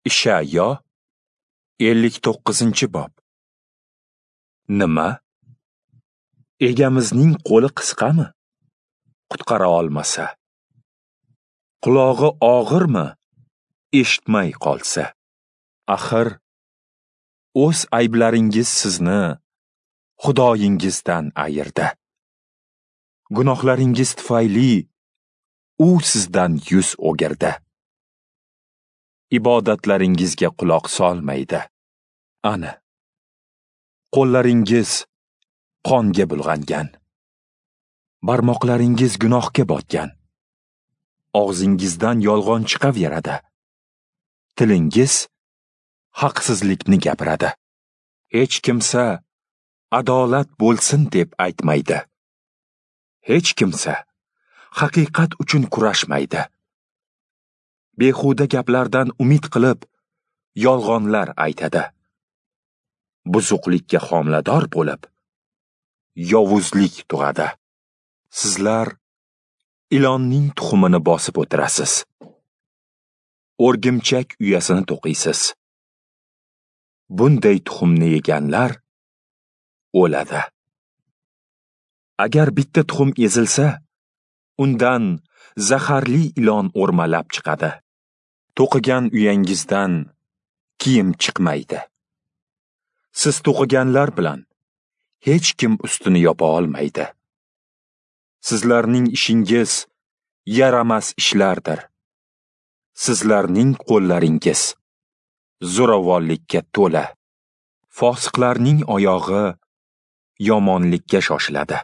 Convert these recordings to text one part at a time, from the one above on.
Ishayo 59-bob. Nima? Egamizning qo'li qisqami? Qutqara olmasa. Qulog'i og'irmi? Eshitmay qolsa. Axir o'z ayblaringiz sizni Xudoyingizdan ayirdi. Gunohlaringiz tufayli u sizdan yuz o'girdi. Ibodatlaringizga quloq solmaydi. Ana, qo'llaringiz qonga bulg'angan. Barmoqlaringiz gunohga botgan. Og'zingizdan yolg'on chiqaveradi. Tilingiz haqsizlikni gapiradi. Hech kimsa adolat bo'lsin deb aytmaydi. Hech kimsa haqiqat uchun kurashmaydi. Behuda gaplardan umid qilib yolg'onlar aytadi. Buzuqlikka homilador bo'lib yovuzlik tug'adi. Sizlar ilonning tuxumini bosib o'tirasiz. O'rgimchak uyasini to'qiysiz. Bunday tuxumni yeganlar o'ladi. Agar bitta tuxum ezilsa, undan zaharli ilon o'rmalab chiqadi. To'qigan uyangizdan kiyim chiqmaydi. Siz to'qiganlar bilan hech kim ustini yopa olmaydi. Sizlarning ishingiz yaramas ishlardir. Sizlarning qo'llaringiz zo'ravonlikka to'la. Fosiqlarning oyog'i yomonlikka shoshiladi.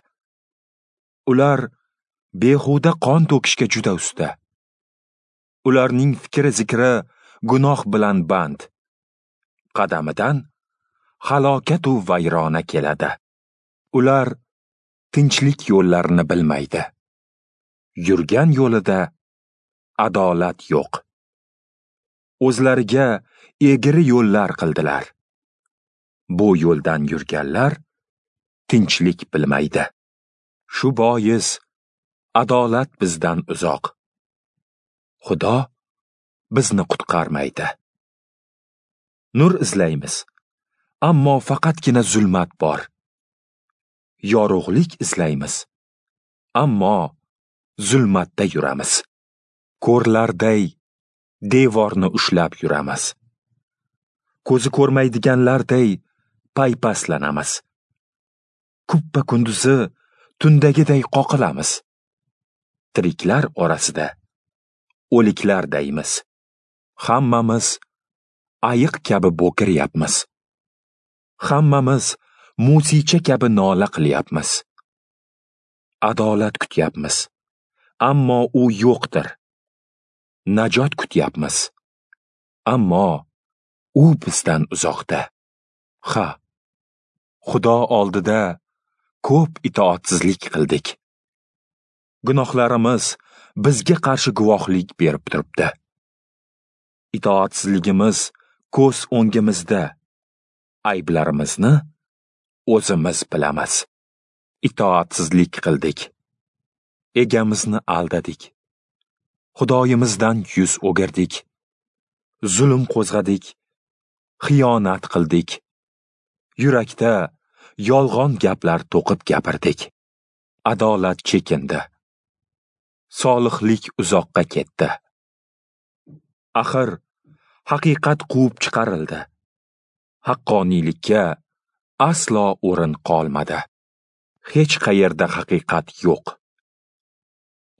Ular behuda qon to'kishga juda usta. Ularning fikri zikri gunoh bilan band. Qadamidan halokatu vayrona keladi. Ular tinchlik yo'llarini bilmaydi. Yurgan yo'lida adolat yo'q. O'zlariga egri yo'llar qildilar. Bu yo'ldan yurganlar tinchlik bilmaydi. Shu bois adolat bizdan uzoq. Xudo bizni qutqarmaydi. Nur izlaymiz, ammo faqatgina zulmat bor. Yorug'lik izlaymiz, ammo zulmatda yuramiz. Ko'rlarday devorni ushlab yuramiz. Ko'zi ko'rmaydiganlarday paypaslanamiz. Kuppa kunduzi tundagiday qoqilamiz. Tiriklar orasida o'liklardaymiz. Hammamiz ayiq kabi bo'kiryapmiz. Hammamiz musicha kabi nola qilyapmiz. Adolat kutyapmiz, ammo u yo'qdir. Najot kutyapmiz, ammo u bizdan uzoqda. Ha, Xudo oldida ko'p itoatsizlik qildik. Gunohlarimiz bizga qarshi guvohlik berib turibdi. Itoatsizligimiz ko'z o'ngimizda. Ayblarimizni o'zimiz bilamiz. Itoatsizlik qildik. Egamizni aldadik. Xudoyimizdan yuz o'girdik. Zulm qo'zg'adik. Xiyonat qildik. Yurakda yolg'on gaplar to'qib gapirdik. Adolat chekindi. Solihlik uzoqqa ketdi. Axir haqiqat quvib chiqarildi. Haqqoniylikka aslo o'rin qolmadi. Hech qayerda haqiqat yo'q.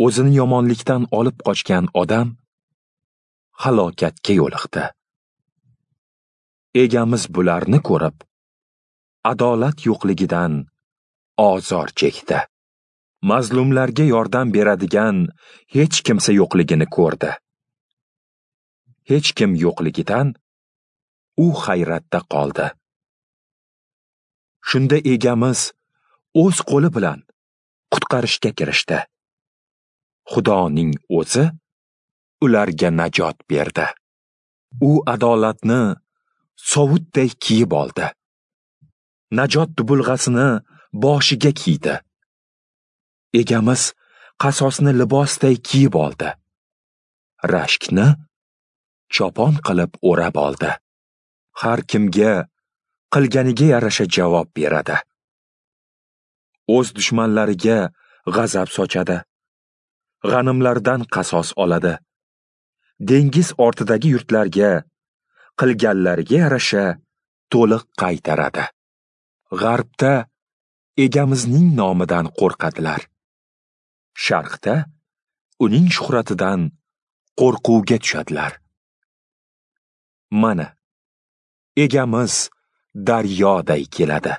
O'zini yomonlikdan olib qochgan odam halokatga yo'liqdi. Egamiz bularni ko'rib, adolat yo'qligidan ozor chekdi. Mazlumlarga yordam beradigan hech kimsa yo'qligini ko'rdi. Hech kim yo'qligidan u hayratda qoldi. Shunda egamiz o'z qo'li bilan qutqarishga kirishdi. Xudoning o'zi ularga najot berdi. U adolatni sovutday kiyib oldi. Najot dubulg'asini boshiga kiydi. Egamiz qasosni libosday kiyib oldi. Rashkni chopon qilib o'rab oldi. Har kimga qilganiga yarasha javob beradi. O'z dushmanlariga g'azab sochadi. G'animlardan qasos oladi. Dengiz ortidagi yurtlarga qilganlariga yarasha to'liq qaytaradi. G'arbda Egamizning nomidan qo'rqadilar. Sharqda uning shuhratidan qo'rquvga tushadilar. Mana, Egamiz daryoday keladi.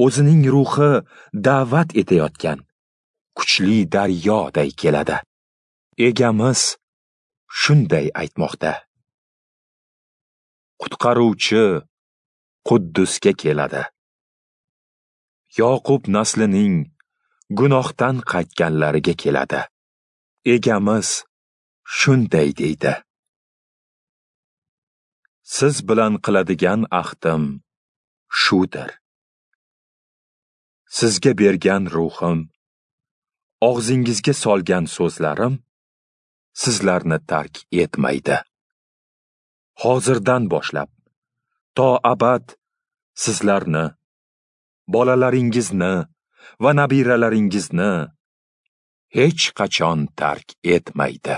O'zining ruhi da'vat etayotgan kuchli daryoday keladi. Egamiz shunday aytmoqda. Qutqaruvchi Quddusga keladi. Yoqub naslining gunohdan qaytganlariga keladi. Egamiz shunday deydi. Siz bilan qiladigan ahdim shudir. Sizga bergan ruhim, og'zingizga solgan so'zlarim sizlarni tark etmaydi. Hozirdan boshlab to abad sizlarni, bolalaringizni va nabiralaringizni hech qachon tark etmaydi.